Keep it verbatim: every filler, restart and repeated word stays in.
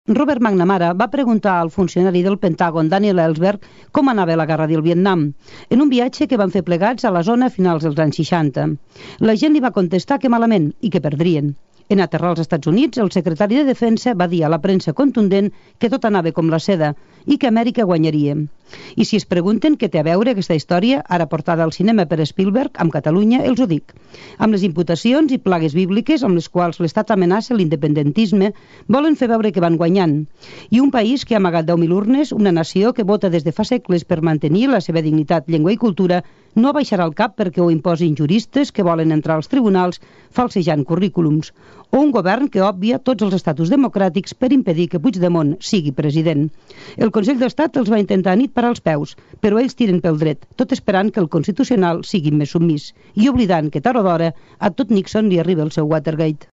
Robert McNamara va preguntar al funcionari del Pentàgon, Daniel Ellsberg, com anava la guerra del Vietnam, en un viatge que van fer plegats a la zona a finals dels anys seixanta. La gent li va contestar que malament i que perdrien. En aterrar als Estats Units, el secretari de Defensa va dir a la premsa contundent que tot anava com la seda i que Amèrica guanyaria. I si es pregunten què té a veure aquesta història, ara portada al cinema per Spielberg, amb Catalunya, els ho dic. Amb les imputacions i plagues bíbliques amb les quals l'Estat amenaça l'independentisme, volen fer veure que van guanyant. I un país que ha amagat deu mil urnes, una nació que vota des de fa segles per mantenir la seva dignitat, llengua i cultura, no baixarà el cap perquè ho imposin juristes que volen entrar als tribunals falsejant currículums, o un govern que òbvia tots els estatus democràtics per impedir que Puigdemont sigui president. El Consell d'Estat els va intentar nit parar els peus, però ells tiren pel dret, tot esperant que el Constitucional sigui més submís, i oblidant que tard o d'hora a tot Nixon li arriba el seu Watergate.